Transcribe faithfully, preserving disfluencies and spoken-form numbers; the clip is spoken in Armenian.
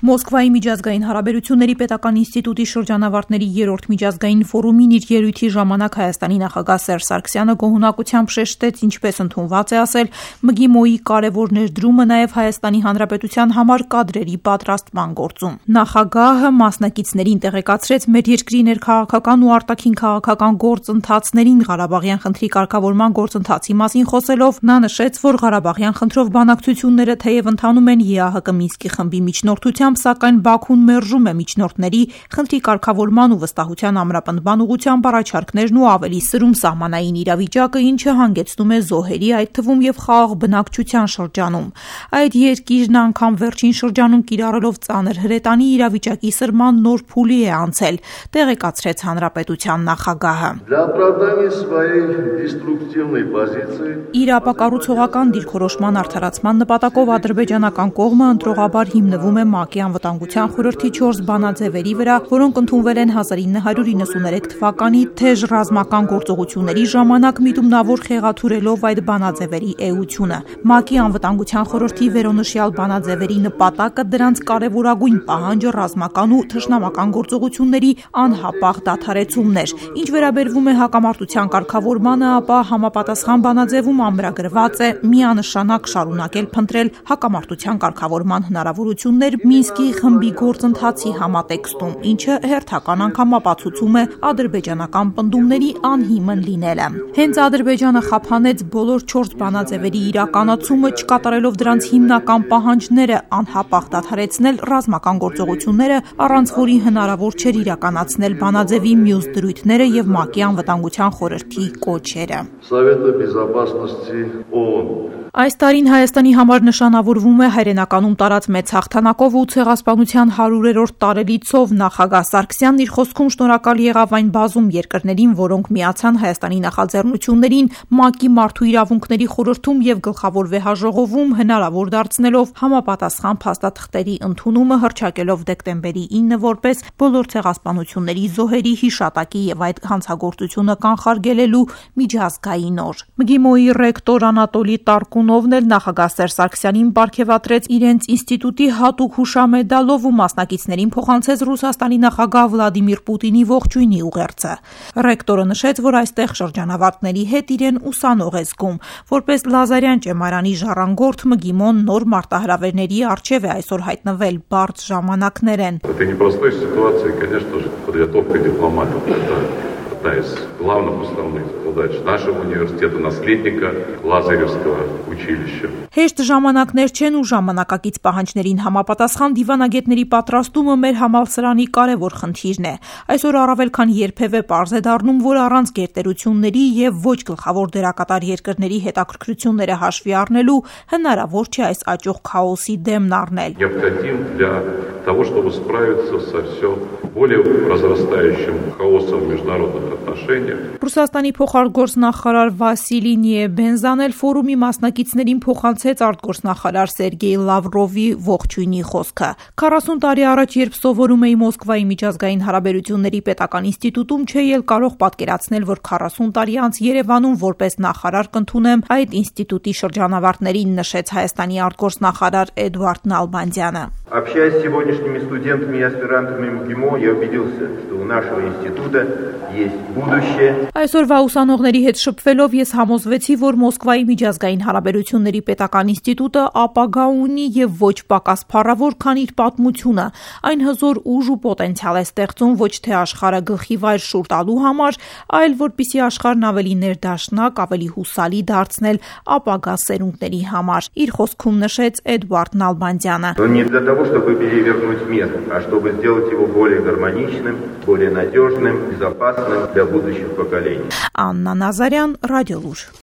Մոսկվայի միջազգային հարաբերությունների պետական ինստիտուտի շրջանավարտների երրորդ միջազգային ֆորումին իր ելույթի ժամանակ Հայաստանի նախագահ Սերժ Սարգսյանը գոհունակությամբ շեշտեց, ինչպես ընդունված է ասել, ՄԳԻՄՈ-ի կարևոր ներդրումը նաև Հայաստանի Հանրապետության համար կադրերի պատրաստման գործում։ Նախագահը մասնակիցներին տեղեկացրեց մեր երկրի ներքաղաքական ու արտաքին քաղաքական գործընթացներին Ղարաբաղյան խնդրի կարգավորման գործընթացի մասին խոսելով, նա նշեց, որ Ղարաբաղյան խնդրով բանակցությունները թեև ընթանում են ԵԱՀԿ Մինսկի խմբի միջնորդությամբ, սակայն Բաքուն մերժում է միջնորդների խնդրի կարգավորման ու վստահության ամրապնդման ուղղությամբ առաջարկներն ու ավելի սրում սահմանային իրավիճակը, ինչը հանգեցնում է զոհերի, այդ թվում եւ խաղաղ բնակչության շրջանում։ Այդ երկիրն անգամ վերջին շրջանում կիրառելով ծանր հրետանի իրավիճակի սրման նոր փուլի է անցել, տեղեկացրեց հանրապետության նախագահը։ Իր ապակառուցողական դիրքորոշման արդարացման նպատակով ադրբեջանական կողմը ընտրողաբար հիմնվում է ՄԱԿ-ի Անվտանգության խորհրդի չորս բանաձևերի վրա, որոնք ընդունվել են հազար ինը հարյուր իննսուներեք թվականի թեժ ռազմական գործողությունների ժամանակ միտումնավոր խեղաթյուրելով այդ բանաձևերի էությունը։ ՄԱԿ-ի Անվտանգության խորհրդի վերոնշյալ բանաձևերի նպատակը դրանց կարևորագույն պահանջը ռազմական ու թշնամական գործողությունների անհապաղ դադարեցումն էր։ Ինչ վերաբերվում է հակամարտության կարգավորմանը, ապա համապատասխան բանաձևում ամրագրված է միանշանակ շարունակել փնտրել հակամարտության կարգավորման հնարավորություններ Մինսկի խմբի գործընթացի համատեքստում, ինչը հերթական անգամ ապացուցում է ադրբեջանական պնդումների անհիմն լինելը։ Հենց Ադրբեջանը խափանեց բոլոր չորս բանաձևերի իրականացումը, չկատարելով դրանց հիմնական պահանջները անհապաղ դադարեցնել ռազմական գործողությունները, առանց որի հնարավոր չէր իրականացնել բանաձևի մյուս դրույթները եւ ՄԱԿ-ի Անվտանգության խորհրդի կոչերը։ Այս տարին Հայաստանի համար նշանավորվում է հայրենականում տարած մեծ հաղթանակով ու ցեղասպանության հարյուրերորդ տարելիցով։ Նախագահ Սարգսյանն իր խոսքում շնորհակալ եղավ այն բազում երկրներին, որոնք միացան Հայաստանի նախաձեռնություններին ՄԱԿ-ի Մարդու իրավունքների խորհրդում եւ գլխավոր վեհաժողովում, հնարավոր դարձնելով համապատասխան փաստաթղթերի ընդունումը, հռչակելով դեկտեմբերի ինը որպես բոլոր ցեղասպանությունների զոհերի հիշատակի եւ այդ հանցագործությունը կանխարգելելու միջազգային օր։ ՄԳԻՄՈ-ի ռեկտոր Անատոլի Տարկունովն էլ նախագահ Սերժ Սարգսյանին պարգևատրեց իրենց ինստիտուտի հատուկ հուշամեդալով ու մասնակիցներին փոխանցեց Ռուսաստանի նախագահ Վլադիմիր Պուտինի ողջույնի ուղերձը։ Ռեկտորը նշեց, որ այստեղ շրջանավարտների հետ իրեն ուսանող է զգում։ Որպես Լազարյան ճեմարանի ժառանգորդ ՄԳԻՄՈ-ն նոր մարտահրավերների առջև է այսօր հայտնվել, բարդ ժամանակներ են։ Одна из главных уставных задач нашего университета, наследника Лазаревского училища. Հեշտ ժամանակներ չեն ու ժամանակակից պահանջներին համապատասխան դիվանագետների պատրաստումը մեր համալսարանի կարևոր խնդիրն է։ Այսօր առավել քան երբևէ պարզ է դառնում, որ առանց գերտերությունների եւ ոչ գլխավոր դերակատար երկրների հետաքրքրությունները հաշվի առնելու հնարավոր չէ այս աճող քաոսի դեմն առնել։ Необходим для того, чтобы справиться со все более разрастающим хаосом в международных отношениях. Ռուսաստանի փոխարտգործնախարար Վասիլի Նիեբենզան էլ ֆորումի մասնակիցներին փոխանցեց արտգործնախարար Սերգեյ Լավրովի ողջույնի խոսքը։ քառասուն տարի առաջ, երբ սովորում էի Մոսկվայի միջազգային հարաբերությունների պետական ինստիտուտում, չէի էլ կարող պատկերացնել, որ քառասուն տարի անց Երևանում որպես նախարար կընդունեմ այդ ինստիտուտի շրջանավարտներին, նշեց Հայաստանի արտգործնախարար Էդվարդ Նալբանդյանը։ Общаясь с сегодняшними студентами и аспирантами МГИМО, я убедился, что у нашего института есть будущее. Այսօրվա ուսանողների հետ շփվելով ես համոզվեցի, որ Մոսկվայի միջազգային հարաբերությունների պետական ինստիտուտը ապագա ունի եւ ոչ պակաս փառավոր, քան իր պատմությունը։ Այն հզոր ուժ ու պոտենցիալ է ստեղծում ոչ թե աշխարհը գլխի վայր շուռ տալու համար, այլ որպիսի աշխարհն ավելի ներդաշնակ, ավելի հուսալի դարձնել ապագա սերունդների համար։ Իր խոսքում նշեց Էդվարդ Նալբանդյանը։ Чтобы перевернуть мир, а чтобы сделать его более гармоничным, более надежным, безопасным для будущих поколений. Աննա Նազարյան, Ռադիոլուր։